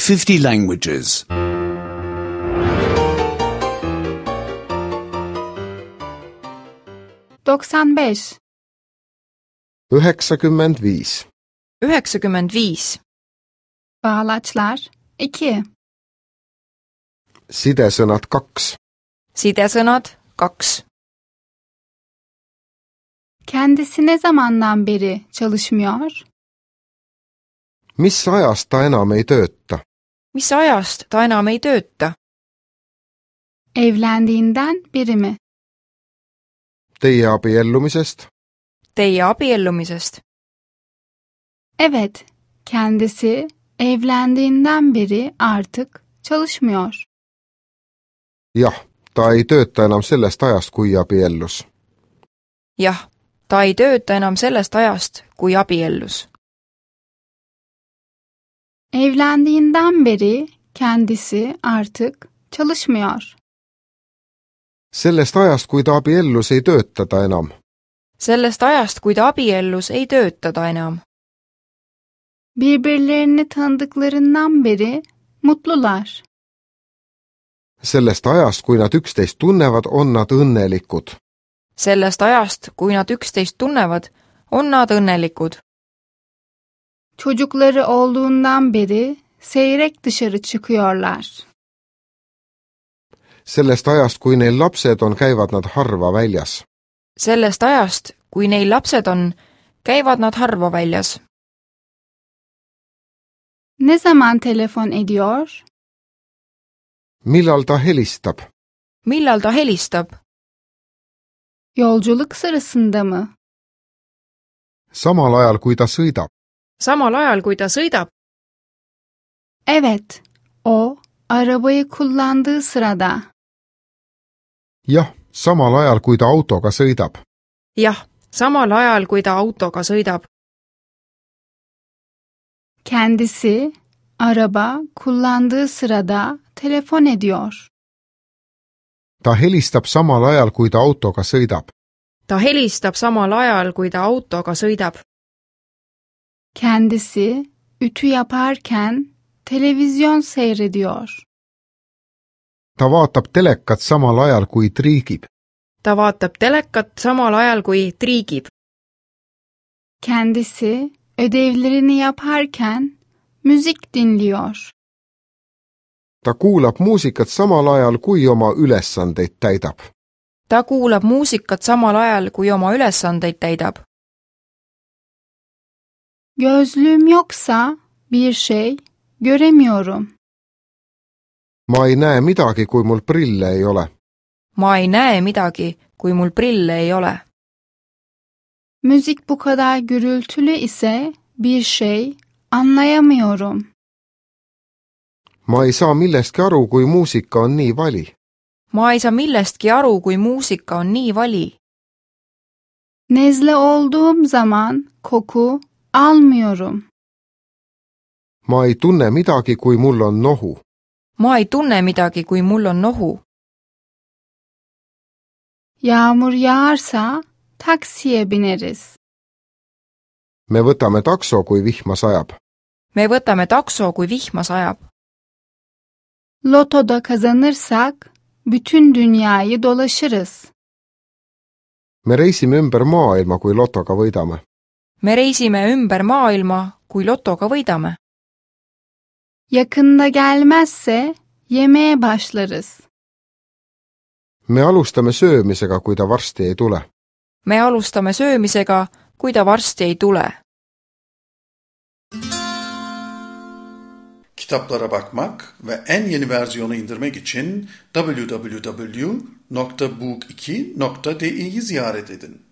50 languages. 95. 95. 95. Bağlaçlar 2. Sidesõnad 2. Sidesõnad 2. Kendisi ne zamandan beri çalışmıyor? Mis ajast ta enam ei tööta? Mis ajast ta enam ei tööta? Evlendiğinden beri mi? Teie abiellumisest? Teie abiellumisest? Evet, kendisi evlendiğinden beri artık çalışmıyor. Jah, ta ei tööta enam sellest ajast, kui abiellus. Jah, ta ei tööta enam sellest ajast, kui abiellus. Evlendiğinden beri kendisi artık çalışmıyor. Sellest ajast, kui ta abiellus, ei tööta ta enam. Sellest ajast, kui ta abiellus, ei tööta ta enam. Birbirlerini tanıdıklarından beri mutlular. Sellest ajast, kui nad üksteist tunnevad, on nad õnnelikud. Sellest ajast, kui nad üksteist tunnevad, on nad õnnelikud. Çocukları olduğundan beri seyrek dışarı çıkıyorlar. Sellest ajast, kui neil lapsed on, käivad nad harva väljas. Sellest ajast, kui neil lapsed on, käivad nad harva väljas. Ne zaman telefon ediyor? Millal ta helistab? Millal ta helistab? Yolculuk sırasında mı? Samal ajal, kui ta sõidab. Samal ajal, kui ta sõidab? Evet, o arabayı kullandığı sırada. Jah, samal ajal, kui ta autoga sõidab. Jah, samal ajal, kui ta autoga sõidab. Kendisi araba kullandığı sırada telefon ediyor. Ta helistab samal ajal, kui ta autoga sõidab. Ta helistab samal ajal, kui ta autoga sõidab. Kendisi ütü yaparken televizyon seyrediyor. Ta vaatab telekat samal ajal, kui triigib. Ta vaatab telekat samal ajal, kui triigib. Kendisi ödevlerini yaparken müzik dinliyor. Ta kuulab muusikat samal ajal, kui oma ülesandeid täidab. Ta kuulab muusikat samal ajal, kui oma ülesandeid täidab. Gözlüğüm yoksa bir şey göremiyorum. Ma ei näe midagi, kui mul prille ei ole. Ma ei näe midagi, kui mul prille ei ole. Müzik bu kadar gürültülü ise bir şey anlayamıyorum. Ma ei saa millestki aru, kui muusika on nii vali. Ma ei saa millestki aru, kui muusika on nii vali. Nezle olduğum zaman koku almıyorum. Ma ei tunne midagi, kui mul on nohu. Ma ei tunne midagi, kui mul on nohu. Yağmur yağarsa taksiye bineriz. Me võtame takso, kui vihma sajab. Me võtame takso, kui vihma sajab. Lotoda kazanırsak bütün dünyayı dolaşırız. Me reisime ümber maailma, kui lotoga võidame. Me reisime ümber maailma, kui lotoga võidame. Yakında gelmezse yemeğe başlarız. Me alustame söömisega, kui ta varsti ei tule. Me alustame söömisega, kui ta varsti ei tule. Kitaplara bakmak ve en yeni versiyonu indirmek için www.book2.de'yi ziyaret edin.